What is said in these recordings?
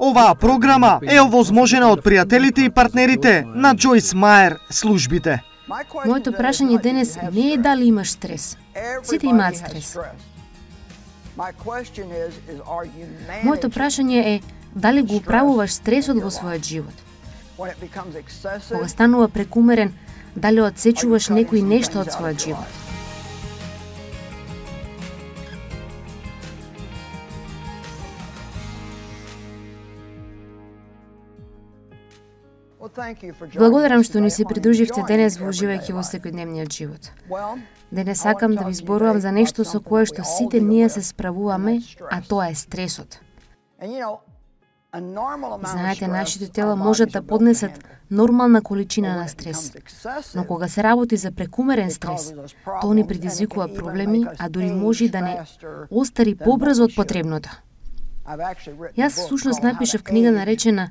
Оваа програма е овозможена од пријателите и партнерите на Джойс Мајер службите. Моето прашање денес не е дали имаш стрес. Сите имаат стрес. Моето прашање е дали го управуваш стресот во својот живот. Кога станува прекумерен, дали одсечуваш некој нешто од својот живот. Благодарам што ни се придруживте денес во уживајќи во секојдневниот живот. Денес сакам да ви зборувам за нешто со кое што сите ние се справуваме, а тоа е стресот. Знаете, нашите тела можат да поднесат нормална количина на стрес, но кога се работи за прекумерен стрес, тоа ни предизвикува проблеми, а дури може да не остари побрзо од потребното. Јас всушност напишав книга наречена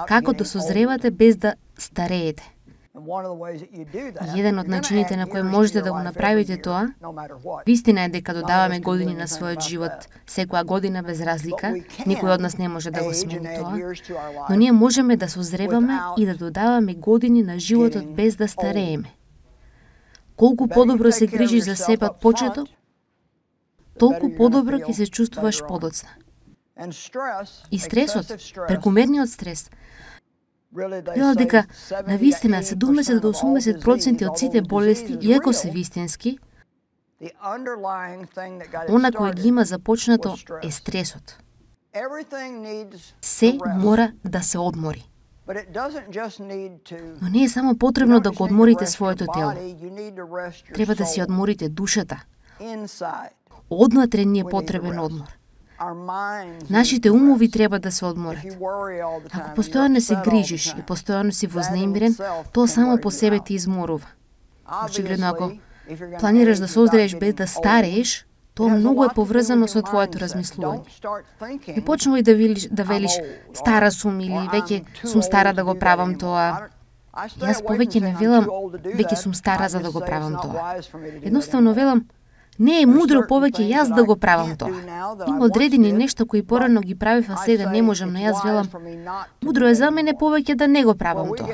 "Како да созревате без да стареете". Еден од начините на кои можете да го направите тоа, вистина е дека додаваме години на својот живот, секоја година без разлика, никој од нас не може да го смени тоа, но ние можеме да созреваме и да додаваме години на животот без да старееме. Колку подобро се грижиш за себе од почеток, толку подобро ќе се чувствуваш подоцна. И стресот, прекумерниот стрес, велат дека на вистина 70 до 80% од сите болести, иако се вистински, она кој ги има започнато е стресот. Се мора да се одмори. Но не е само потребно да го одморите своето тело. Треба да си одморите душата. Однатре ни е потребен одмор. Нашите умови треба да се одморат. Ако постојано се грижиш и постојано си вознемирен, тоа само по себе ти изморува. Очигледно, ако планираш да се оздравиш без да старееш, тоа многу е поврзано со твоето размислување. Не почнувај да велиш стара сум или веќе сум стара да го правам тоа. Јас повеќе не велам веќе сум стара за да го правам тоа. Едноставно велам не е мудро повеќе јас да го правам тоа. Има одредени нешта кои порано ги правев, а сега не можам, но јас велам мудро е за мене повеќе да не го правам тоа.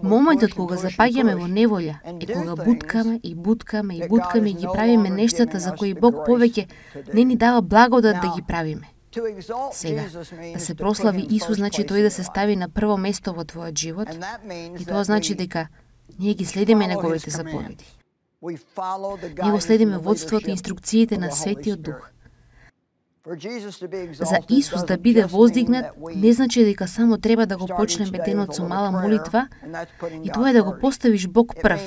Моментот кога запаѓаме во неволја е кога буткаме и ги правиме нештата за кои Бог повеќе не ни дава благодат да ги правиме. Сега, да се прослави Исус значи тој да се стави на прво место во твојот живот, и тоа значи дека ние ги следиме неговите заповеди. Ние го следиме водството и инструкциите на Светиот Дух. За Исус да биде воздигнат не значи дека само треба да го почнеме денот со мала молитва и тоа е да го поставиш Бог прв,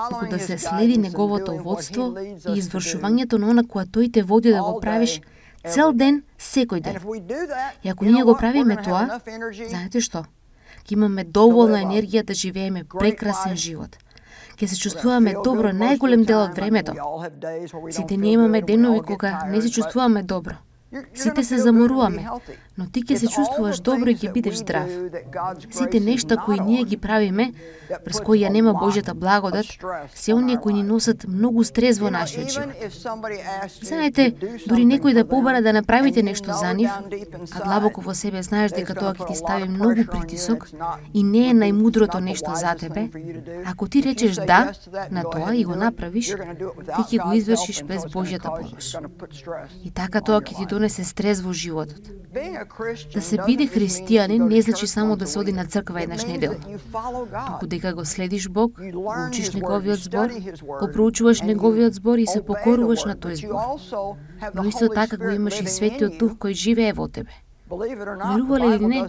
туку да се следи неговото водство и извршувањето на она која тој те води да го правиш цел ден, секој ден. И ако ние го правиме тоа, знаете што? Ќе имаме доволна енергија да живееме прекрасен живот. Ќе се чувствуваме добро најголем дел од времето. Сите ние имаме денови кога не се чувствуваме добро. Сите се заморуваме, но ти ќе се чувствуваш добро и ќе бидеш здрав. Сите нешта кои ние ги правиме, през кои ја нема Божјата благодат, се оние кои ни носат многу стрес во нашиот живот. Знаете, дури некој да побара да направите нешто за нив, а длабоко во себе знаеш дека тоа ќе ти стави многу притисок и не е најмудрото нешто за тебе, ако ти речеш да на тоа и го направиш, ти ќе го извршиш без Божјата помош. И така тоа ќе ти донесе стрес во животот. Да се биде христијанин не значи само да се оди на црква еднаш неделно, туку дека го следиш Бог, го учиш неговиот збор, го проучуваш неговиот збор и се покоруваш на тој збор. Но исто така го имаш и Светиот Дух кој живее во тебе. Верувале или не,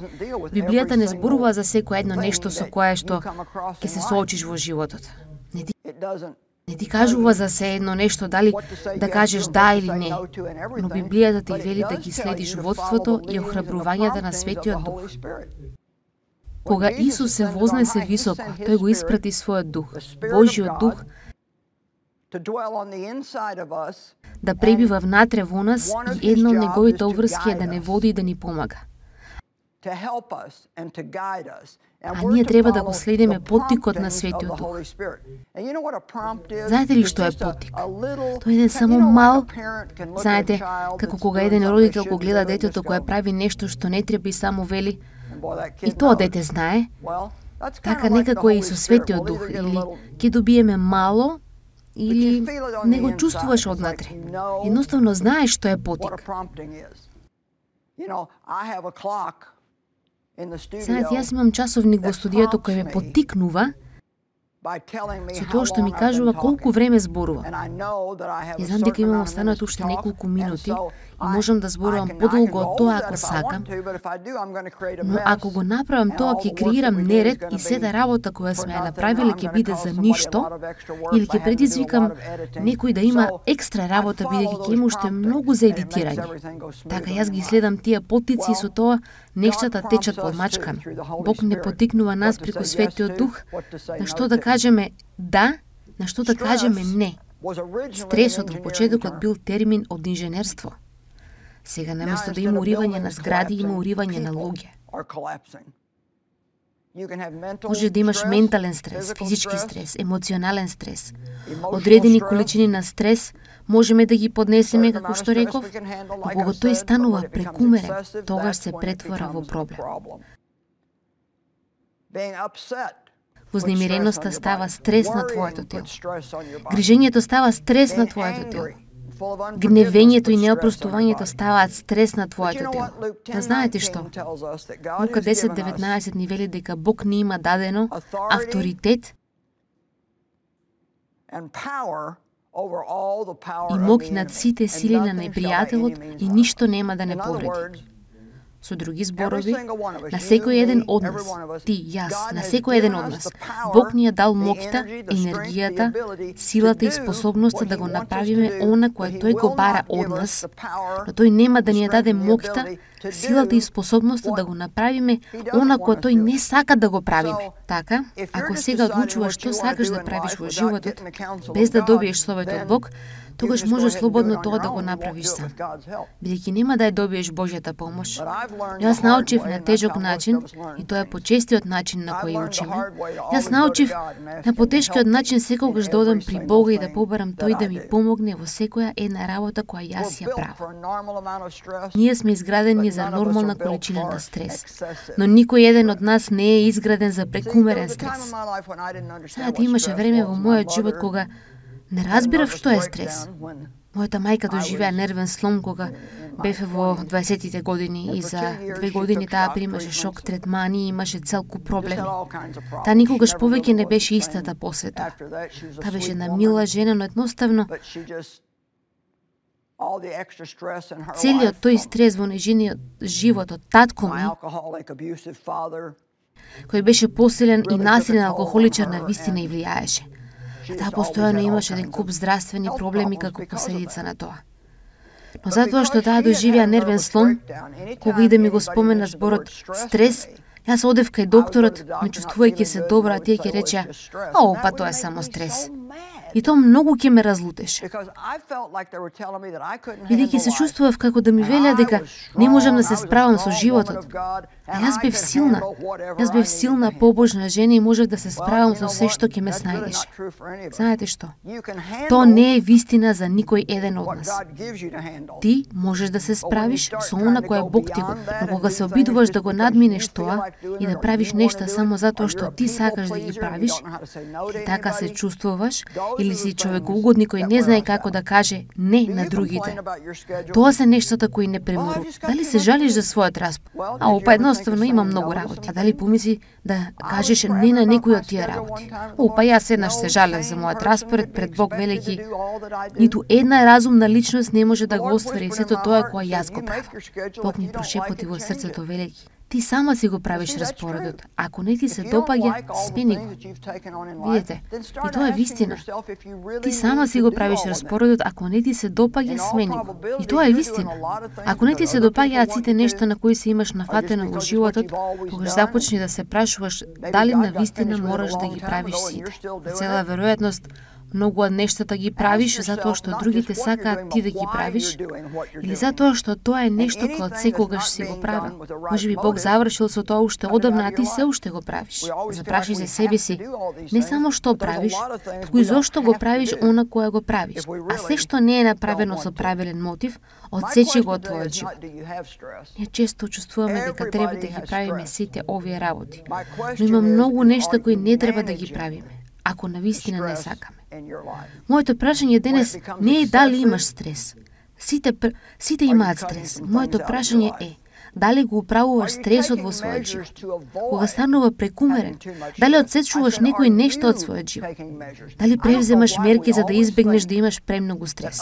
Библијата не зборува за секој едно нешто со кое што ќе се соочиш во животот. Не ти кажува за се едно нешто дали да кажеш да или не, но Библијата ти вели да ги следиш водството и охрабрувањата на Светиот Дух. Кога Исус се вознесе високо, тој го испрати својот Дух, Божјиот Дух, да пребива внатре во нас и една од неговите обврски е да не води и да ни помага. А ние треба да го следиме поттикот на Светиот Дух. Знаете ли што е поттик? Тој е еден само мал, знаете, како кога еден родител го гледа детето кое прави нешто што не треба и само вели, и тоа дете знае, така некако е и со Светиот Дух, или ќе добиеме мало, или не го чувствуваш однатре. Едноставно знаеш што е поттик. Знаете, јас имам часовник во студиото кој ме поттикнува со тоа што ми кажува колку време зборувам. И знам дека имам останат уште неколку минути и можам да зборувам подолго од тоа ако сакам, но ако го направам тоа ќе креирам неред и сета работа која сме ја направиле ќе биде за ништо, или ќе предизвикам некој да има екстра работа бидејќи ќе има уште многу за едитирање. Така јас ги следам тие поттици и со тоа нештата течат помачкано. Бог не поттикнува нас преку Светиот Дух на што да кажеме да, на што да кажеме не. Стресот во почетокот бил термин од инженерство. Сега наместо да има уривање на згради, има уривање на луѓе. Може да имаш ментален стрес, физички стрес, емоционален стрес. Одредени количини на стрес можеме да ги поднесеме, како што реков, но кога тој станува прекумерен, тогаш се претвора во проблем. Вознемиреноста става стрес на твоето тело. Грижењето става стрес на твоето тело. Гневењето и неопростувањето ставаат стрес на твоето тело. Но знаете што? Лука 10:19 ни вели дека Бог ни има дадено авторитет и мок над сите сили на непријателот и ништо нема да не повреди. Со други зборови, на секој еден од нас, ти, јас, на секој еден од нас, Бог ни ја дал моќта, енергијата, силата и способноста да го направиме она кое тој го бара од нас, но тој нема да ни ја даде моќта, силата и способноста да го направиме она кое тој не сака да го правиме. Така, ако сега одлучуваш што сакаш да правиш во животот, без да добиеш совет од Бог, тогаш може слободно тоа да го направиш сам, бидејќи нема да ја добиеш Божјата помош. Јас научив на тежок начин, и тоа е почестиот начин на кој учиме. Јас научив на потешкиот начин секогаш да одам при Бога и да побарам тој да ми помогне во секоја една работа која јас ја правам. Ние сме изградени за нормална количина на стрес, но никој еден од нас не е изграден за прекумерен стрес. Знаете, имаше време во мојот живот кога не разбирав што е стрес. Мојата мајка доживеа нервен слом кога беве во 20-тите години и за 2 години таа примаше шок третмани и имаше цел куп проблеми. Таа никогаш повеќе не беше истата после тоа. Таа беше една мила жена, но едноставно целиот тој стрес во нејзиниот живот од татко ми, кој беше посилен и насилен алкохоличар, на вистина и влијаеше. Таа постојано имаше еден куп здравствени проблеми како последица на тоа. Но затоа што таа доживеа нервен слом, кога и да ми го спомена зборот стрес, јас одев кај докторот, не чувствувајќи се добра, а тие ќе речеа: "О, па тоа е само стрес." И тоа многу ќе ме разлутеше. Бидејќи се чувствував како да ми велеа дека не можам да се справам со животот. А јас бев силна. Јас бев силна, побожна жена и можев да се справам со се што ќе ме снајдеше. Знаете што? Тоа не е вистина за никој еден од нас. Ти можеш да се справиш со она кое Бог ти го, но кога се обидуваш да го надминеш тоа и да правиш нешта само затоа што ти сакаш да ги правиш, и така се чувствуваш, или си човекоугодник кој не знае како да каже не на другите. Тоа се нештата кои не премору. Дали се жалиш за својот распор? Па едноставно има многу работи. А дали помисли да кажеш не на некој од тие работи? Па јас еднаш се жалев за мојот распоред пред Бог, велејќи ниту една разумна личност не може да го оствари сето тоа кое јас го правам. Бог ми прошепоти во срцето, велејќи: ти сама си го правиш распоредот. Ако не ти се допаѓа, смени го. Видите, и тоа е вистина. Ти сама си го правиш распоредот, ако не ти се допаѓа, смени го. И тоа е вистина. Ако не ти се допаѓаат сите нешта на кои се имаш нафатено во животот, тогаш започни да се прашуваш дали на вистина мораш да ги правиш сите. На цела веројатност, Многу од нештата ги правиш затоа што другите сакаат ти да ги правиш, или затоа што тоа е нешто кое од секогаш си го правил. Можеби Бог завршил со тоа уште одамна, а ти се уште го правиш. Запраши за себе си, не само што правиш, туку и зошто го правиш она кое го правиш. А се што не е направено со правилен мотив, одсечи го од твојот живот. Ние често чувствуваме дека треба да ги правиме сите овие работи, но има многу нешта кои не треба да ги правиме, ако навистина не сакаме. Моето прашање денес не е дали имаш стрес. Сите имаат стрес. Моето прашање е, дали го управуваш стресот во својот живот? Кога станува прекумерен, дали одсечуваш некои нешта од својот живот? Дали превземаш мерки за да избегнеш да имаш премногу стрес?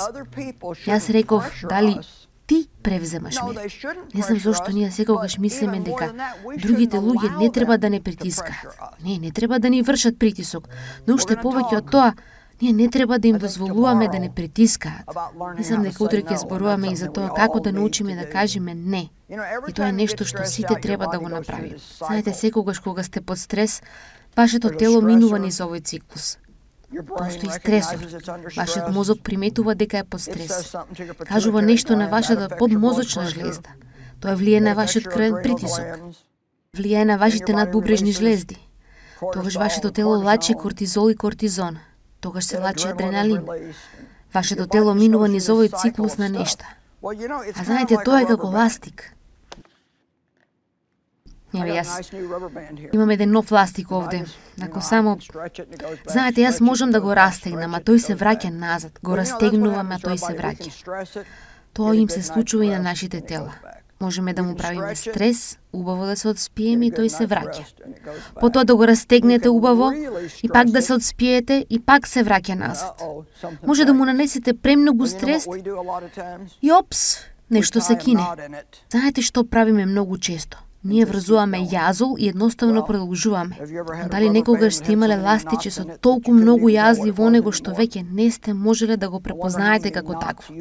Јас реков, дали ти превземаш мерки. Не знам зошто ние секогаш мислиме дека другите луѓе не треба да не притискаат. Не треба да ни вршат притисок, но уште повеќе од тоа, ние не треба да им дозволуваме да не притискаат. Мислам дека утре ќе зборуваме и за тоа како да научиме да кажеме не. И тоа е нешто што сите треба да го направиме. Знаете, секогаш кога сте под стрес, вашето тело минува низ овој циклус. Постои стресор. Вашиот мозок приметува дека е под стрес. Кажува нешто на вашата подмозочна жлезда. Тоа влие на вашиот крвен притисок. Влие на вашите надбубрежни жлезди. Тогаш вашето тело лачи кортизол и кортизон. Тогаш се лачи адреналин. Вашето тело минува низ овој циклус на нешта. А знаете, тоа е како ластик. Јас имам еден нов ластик овде. Ако само... Знаете, јас можам да го растегнам, а тој се враќа назад. Го растегнувам, а тој се враќа. Тоа им се случува и на нашите тела. Можеме да му правиме стрес, убаво да се одспиеме и тој се враќа. Потоа да го растегнете убаво и пак да се одспиете и пак се враќа назад. Може да му нанесете премногу стрес и опс, нешто се кине. Знаете што правиме многу често? Ние врзуваме јазол и едноставно продолжуваме. Но дали некогаш сте имале ластиче со толку многу јазли во него што веќе не сте можеле да го препознаете како такво?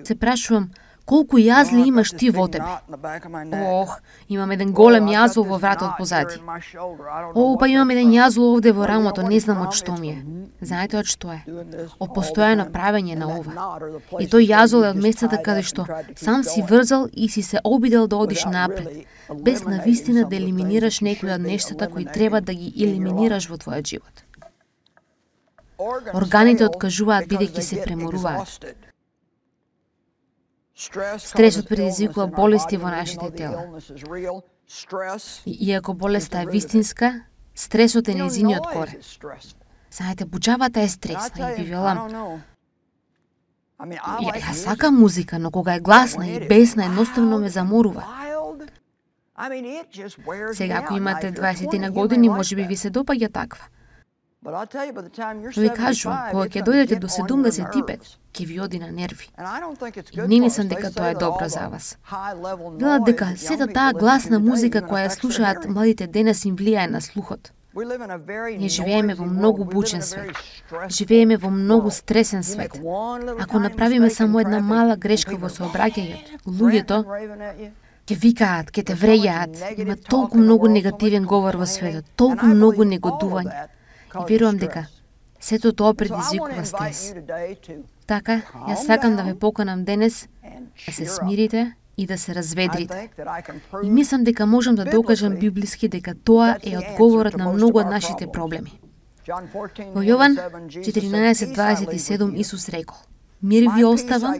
Се прашувам, колку јазли имаш ти во тебе? Ох, имам еден голем јазол во вратот позади. Па имам еден јазол овде во рамото, не знам од што ми е. Знаете од што е? Од постојано правење на ова. И тој јазол е од местата каде што сам си врзал и си се обидел да одиш напред, без навистина да елиминираш некои од нештата кои треба да ги елиминираш во твојот живот. Органите откажуваат бидејќи се преморуваат. Стресот предизвикува болести во нашите тела. Иако болеста е вистинска, стресот е нејзиниот корен. Знаете, буџавата е стресна и ви велам. Ја сакам музика, но кога е гласна и бесна, едноставно ме заморува. Сега, ако имате 20 на години, можеби ви се допаѓа таква. Но ви кажувам, кога ќе дојдете до 75, ќе ви оди на нерви. И не мислам дека тоа е добро за вас. Велат дека сета таа гласна музика која ја слушаат младите денес им влијае на слухот. Ние живееме во многу бучен свет. Живееме во многу стресен свет. Ако направиме само една мала грешка во сообраќањето, луѓето ќе викаат, ќе те врејаат. Има толку многу негативен говор во светот, толку многу негодување. И верувам дека сето тоа предизвикува стрес. Така, јас сакам да ве поканам денес да се смирите и да се разведрите. И мислам дека можам да докажам библиски дека тоа е одговорот на многу од нашите проблеми. Во Јован 14:27 Исус рекол: Мир ви оставам,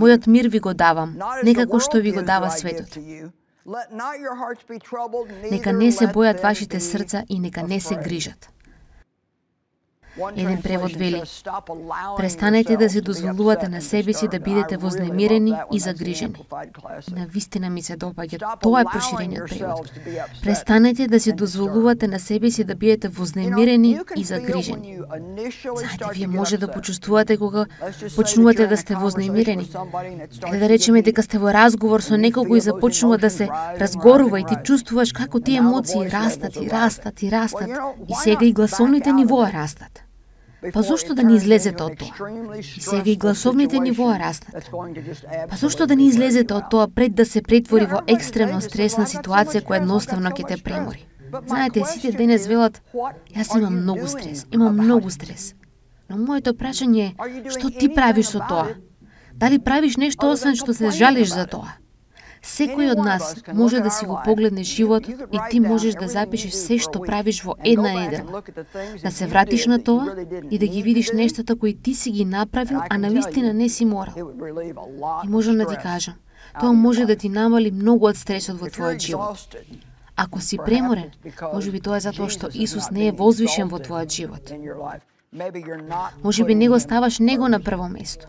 мојот мир ви го давам, не како што ви го дава светот. Нека не се бојат вашите срца и нека не се грижат. Еден превод вели: престанете да се дозволувате на себе си да бидете вознемирени и загрижени. На вистина ми се допаѓа, тоа е проширениот превод. Престанете да се дозволувате на себе си да бидете вознемирени и загрижени. Знаете, вие може да почувствувате кога почнувате да сте вознемирени. Или да речеме дека сте во разговор со некого и започнува да се разгорува и ти чувствуваш како тие емоции растат и растат и растат. И сега и гласовните нивоа растат. Па зошто да не излезете од тоа? И сега и гласовните нивоа растат. Па зошто да не излезете од тоа пред да се претвори во екстремно стресна ситуација која едноставно ќе те премори? Знаете, сите денес велат: јас имам многу стрес. Но моето прашање е, што ти правиш со тоа? Дали правиш нешто освен што се жалиш за тоа? Секој од нас може да си го погледне животот и ти можеш да запишеш се што правиш во една недела. Да се вратиш на тоа и да ги видиш нештата кои ти си ги направил, а навистина не си морал. И можам да ти кажам, тоа може да ти намали многу од стресот во твојот живот. Ако си преморен, можеби тоа е затоа што Исус не е возвишен во твојот живот. Можеби не го ставаш него на прво место.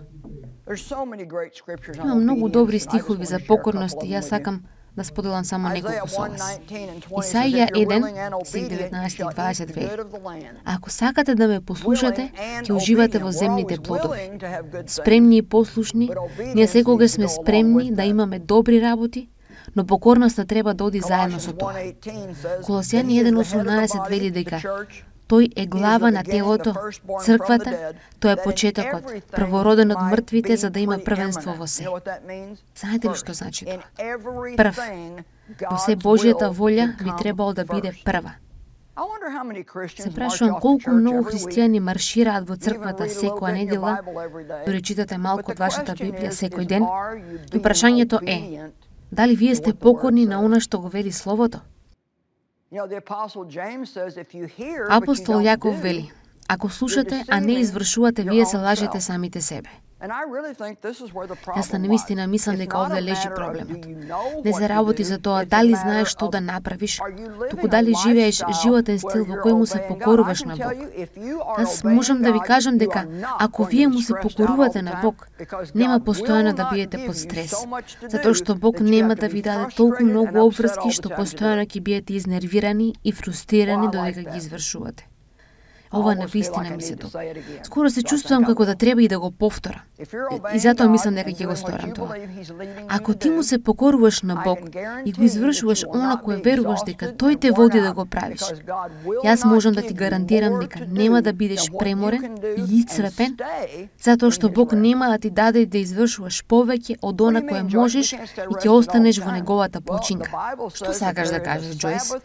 Има многу добри стихови за покорност и јас сакам да споделам само неколку со вас. Исаија 1, стих 19 и 20 вели: Ако сакате да ме послушате, ќе уживате во земните плодови. Спремни и послушни, ние секогаш сме спремни да имаме добри работи, но покорноста треба да оди заедно со тоа. Колосјани 1:18 вели дека Тој е глава на телото, црквата, тој е почетокот, првороден од мртвите, за да има првенство во се. Знаете ли што значи тоа? Прв. Во се Божјата волја би требало да биде прва. Се прашувам колку многу христијани маршираат во црквата секоја недела, дори читате малку од вашата Библија секој ден, и прашањето е, дали вие сте покорни на она што го вели Словото? Апостол Јаков вели: Ако слушате, а не извршувате, вие се лажете самите себе. Јас на навистина мислам дека овде лежи проблемот. Не се работи за тоа дали знаеш што да направиш, туку дали живееш животен стил во кој му се покоруваш на Бог. Јас можам да ви кажам дека ако вие му се покорувате на Бог, нема постојано да биете под стрес, затоа што Бог нема да ви даде толку многу обврски што постојано ќе биете изнервирани и фрустрирани додека ги извршувате. Ова навистина ми се добро. Скоро се чувствувам како да треба и да го повторам. И затоа мислам дека ќе го сторам тоа. Ако ти му се покоруваш на Бог и го извршуваш она кое веруваш дека Тој те води да го правиш, јас можам да ти гарантирам дека нема да бидеш преморен и исцрпен, затоа што Бог нема да ти даде да извршуваш повеќе од она кое можеш и ќе останеш во неговата починка. Што сакаш да кажеш, Џојс?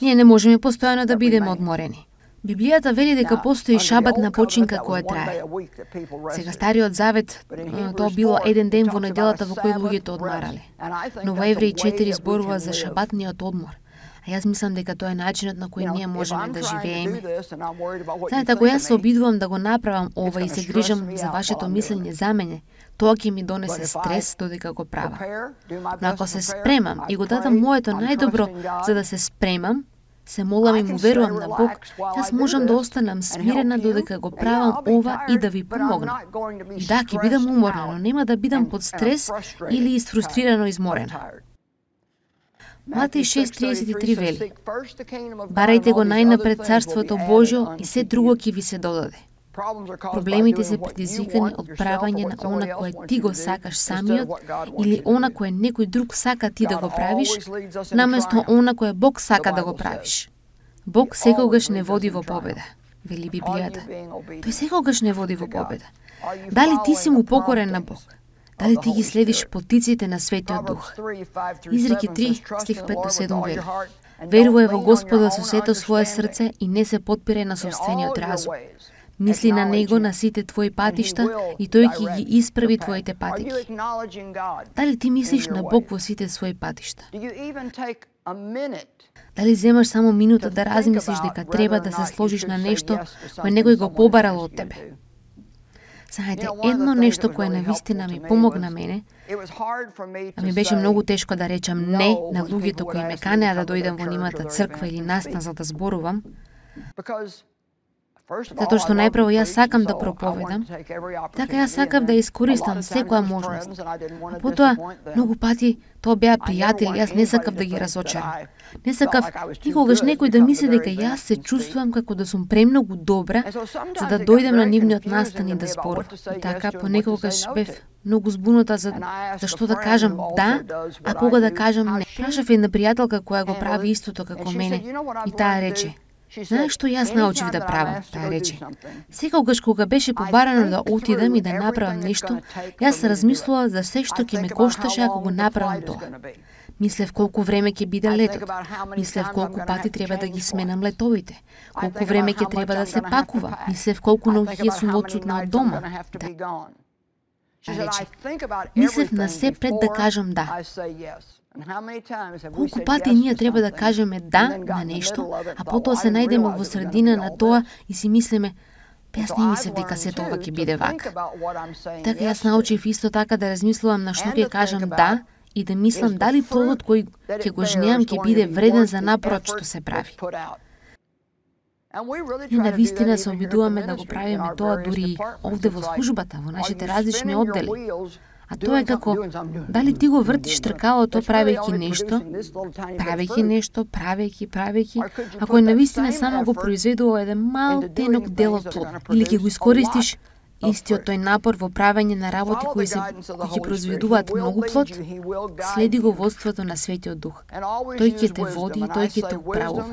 Ние не можеме постојано да бидеме одморени. Библијата вели дека постои шабатна починка која трае. Сега Стариот Завет, тоа било еден ден во неделата во кој луѓето одмарале. Но во Евреи 4 зборува за шабатниот одмор. А јас мислам дека тоа е начинот на кој ние можеме да живееме. Знаете, ако јас се обидувам да го направам ова и се грижам за вашето мислење за мене, тоа ќе ми донесе стрес додека го правам. Но ако се спремам и го дадам моето најдобро за да се спремам, се молам и му верувам на Бог, јас можам да останам смирена додека го правам ова и да ви помогнам. И да, ќе бидам уморна, но нема да бидам под стрес или изфрустрирано изморена. Матеј 6:33 вели: Барајте го најнапред царството Божјо и се друго ќе ви се додаде. Проблемите се предизвикани од правење на она кое ти го сакаш самиот или она кое некој друг сака ти да го правиш, наместо она кое Бог сака да го правиш. Бог секогаш не води во победа, вели Библијата. Тој секогаш не води во победа. Дали ти си му покорен на Бог? Дали ти ги следиш потиците на Светиот Дух? Изреки 3, стих 5-7 вели: Верувај во Господа со сето свое срце и не се подпирај на сопствениот разум. Мисли на Него на сите твои патишта и Тој ќе ги исправи твоите патеки. Дали ти мислиш на Бог во сите своји патишта? Дали земаш само минута да размислиш дека треба да се сложиш на нешто кое некој го побарал од тебе? Знаете, едно нешто кое навистина ми помогна мене, а ми беше многу тешко да речам не на луѓето кои ме канеа да дојдам во нивната црква или настан за да зборувам, затоа што најпрво јас сакам да проповедам, така јас сакав да искористам секоја можност. А потоа, многу пати, тоа беа пријатели, јас не сакав да ги разочарам. Не сакав никогаш некој да мисли дека јас се чувствувам како да сум премногу добра за да дојдем на нивниот настан и да зборувам. И така, понекогаш бев многу збунута за што да кажам да, а кога да кажам не. Прашав една пријателка која го прави истото како мене и таа рече: Знаеш што јас научив да правам, таа рече. Секогаш кога беше побарано да отидам и да направам нешто, јас размислував за се што ќе ме кошташе ако го направам тоа. Мислев колку време ќе биде летот. Мислев колку пати треба да ги сменам летовите. Колку време ќе треба да се пакува. Мислев колку ноќи ќе сум одсутна од дома. Рече, мислев на се пред да кажам да. Колку пати ние треба да кажеме да на нешто, а потоа се најдеме во средина на тоа и си мислиме, јас не мислев дека сето ова ќе биде вака. Така јас научив исто така да размислувам на што ќе кажам да и да мислам дали плодот кој ќе го жнеам ќе биде вреден за напорот што се прави. И навистина се обидуваме да го правиме тоа дури овде во службата, во нашите различни оддели. А тоа е како, дали ти го вртиш тркалото правејќи нешто, правејќи, ако навистина само го произведува еден мал тенок дел од плод, или ќе го искористиш истиот тој напор во правење на работи кои ќе произведуваат многу плод, следи го водството на Светиот Дух. Тој ќе те води и тој ќе те управува.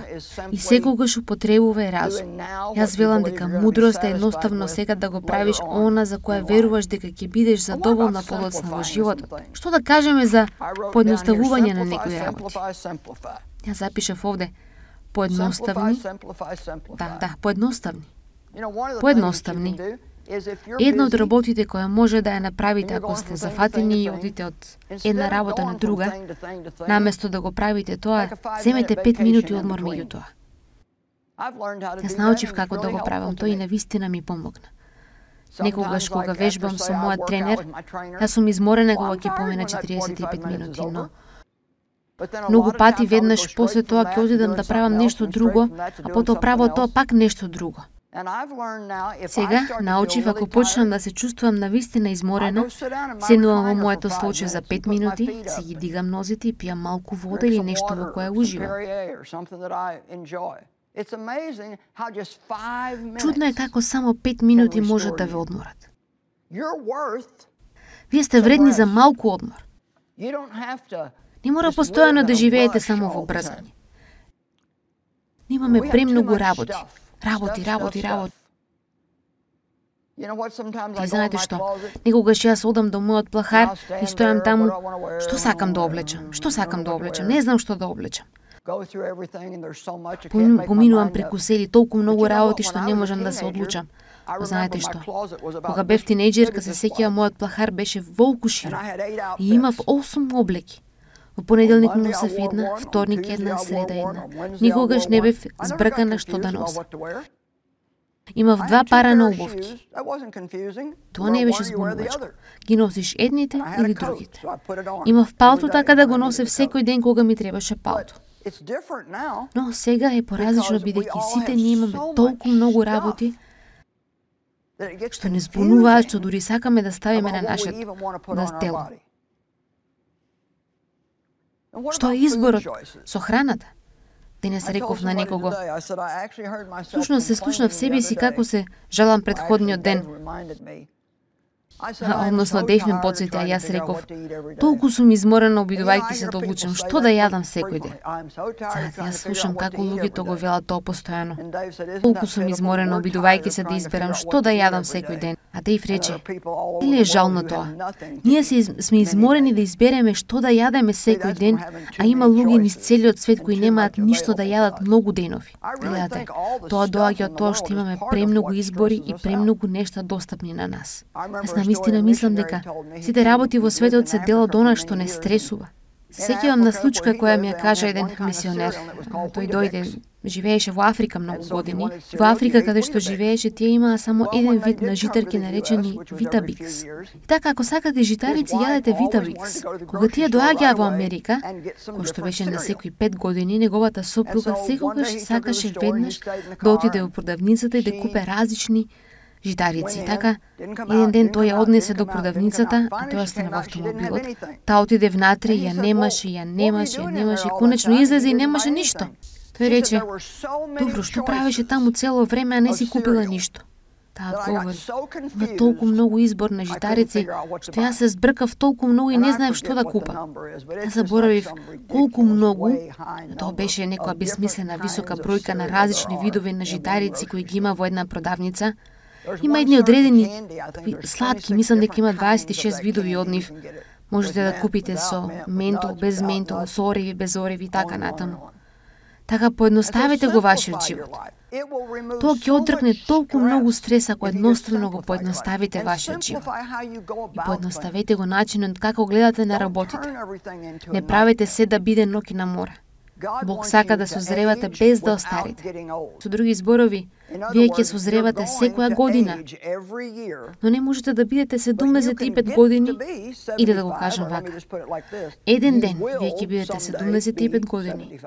И секогаш употребувај разум. Јас велам дека мудрост е едноставно сега да го правиш она за кое веруваш дека ќе бидеш задоволна подоцна во животот. Што да кажеме за поедноставување на некои работи? Јас запишав овде поедноставни. Поедноставни. Една од работите која може да ја направите ако сте зафатени и одите од една работа на друга, наместо да го правите тоа, земете 5 минути одмор меѓу тоа. Јас научив како да го правам тоа и навистина ми помогна. Некогаш кога вежбам со мојот тренер, јас сум изморена кога ќе помина 45 минути, но многу пати веднаш после тоа ќе одидам да правам нешто друго, а потоа право тоа пак нешто друго. Сега научив ако почнам да се чувствувам навистина изморена, седнувам во моето случај за 5 минути, си ги дигам нозите и пијам малку вода или нешто во кое уживам. Чудно е како само 5 минути можат да ве одморат. Вие сте вредни за малку одмор. Не мора постојано да живеете само во брзање. Имаме премногу работи. Работи. И знаете што? Некогаш јас одам до мојот плахар и стојам таму, што сакам да облечам? Не знам што да облечам. Поминувам преку сели толку многу работи што не можам да се одлучам. Знаете што? Кога бев тинејџерка, се сеќавам мојот плахар беше волку широк и имав 8 облеки. Во понеделник носев една, вторник една, среда една. Никогаш не бев збркана што да носам. Имав 2 пара на обувки. Тоа не беше збунувачко. Ги носиш едните или другите. Имав палто така да го носев секој ден кога ми требаше палто. Но сега е поразлично бидејќи сите ние имаме толку многу работи што не збунуваат, што дури сакаме да ставиме на нашето тело. Што е изборот со храната? Денес реков на некого. Слушно се слушнав себе си како се жалам предходниот ден. Односно Дејв ме потсети, а јас реков, толку сум изморена обидувајќи се да одлучам што да јадам секој ден. Сега јас слушам како луѓето го велат тоа постојано. Толку сум изморена обидувајќи се да изберам што да јадам секој ден. А Дејв рече, или е жал на тоа? Ние сме изморени да избереме што да јадеме секој ден, а има луѓе низ целиот свет кои немаат ништо да јадат многу денови. Гледате, тоа доаѓа од тоа што имаме премногу избори и премногу нешта достапни на нас. Навистина мислам дека сите работи во светот се дел од она што не стресува. Сеќавам на случка која ми ја кажа еден мисионер. Тој дојде, живееше во Африка многу години. Во Африка каде што живееше, тие имаа само еден вид на житарки наречени Витабикс. И така, ако сакате житарици, јадете Витабикс. Кога тие доаѓаа во Америка, кој што беше на секои 5 години, неговата сопруга секогаш сакаше веднаш да отиде во продавницата и да купе различни житарици. Така, еден ден тој ја однесе до продавницата, а тој остана во автомобилот. Таа отиде внатре, ја немаше и конечно излезе и немаше ништо. Тој рече, добро, што правеше таму цело време, а не си купила ништо? Таа одговори, има толку многу избор на житарици, што јас се збркав толку многу и не знаев што да купам. Јас заборавив колку многу, тоа беше некоја безсмислена висока бројка на различни видови на житарици кои ги има во една продавница. Има едни одредени сладки, мислам дека има 26 видови од нив. Можете да купите со ментол, без ментол, со ориви, без ориви и така натаму. Така поедноставете го вашиот живот. Тоа ќе отргне толку многу стрес ако едноставно го поедноставите вашиот живот. И поедноставете го начинот како гледате на работите. Не правете се да биде ноќ на море. Бог сака да созревате без да остарите. Со други зборови, вие ќе созревате секоја година, но не можете да бидете 75 години, или да го кажам вака. Еден ден вие ќе бидете 75 години,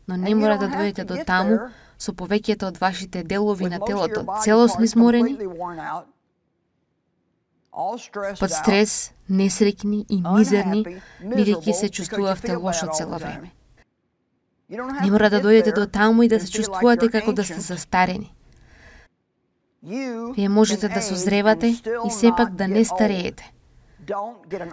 но не мора да дојдете до таму со повеќето од вашите делови на телото целосно изморени, под стрес, несреќни и мизерни, бидејќи се чувствувавте лошо цело време. Не мора да дојдете до таму и да се чувствувате како да сте застарени. Вие можете да созревате и сепак да не стареете.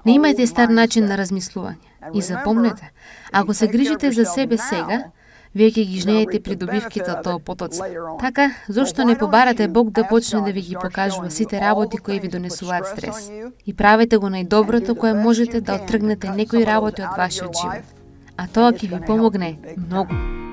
Не имајте стар начин на размислување. И запомнете, ако се грижите за себе сега, вие ќе ги жнеете придобивките од тоа потоци. Така, зошто не побарате Бог да почне да ви ги покажува сите работи кои ви донесуваат стрес? И правете го најдоброто кое можете да оттргнете некои работи од вашиот живот. А тоа ќе ви помогне многу.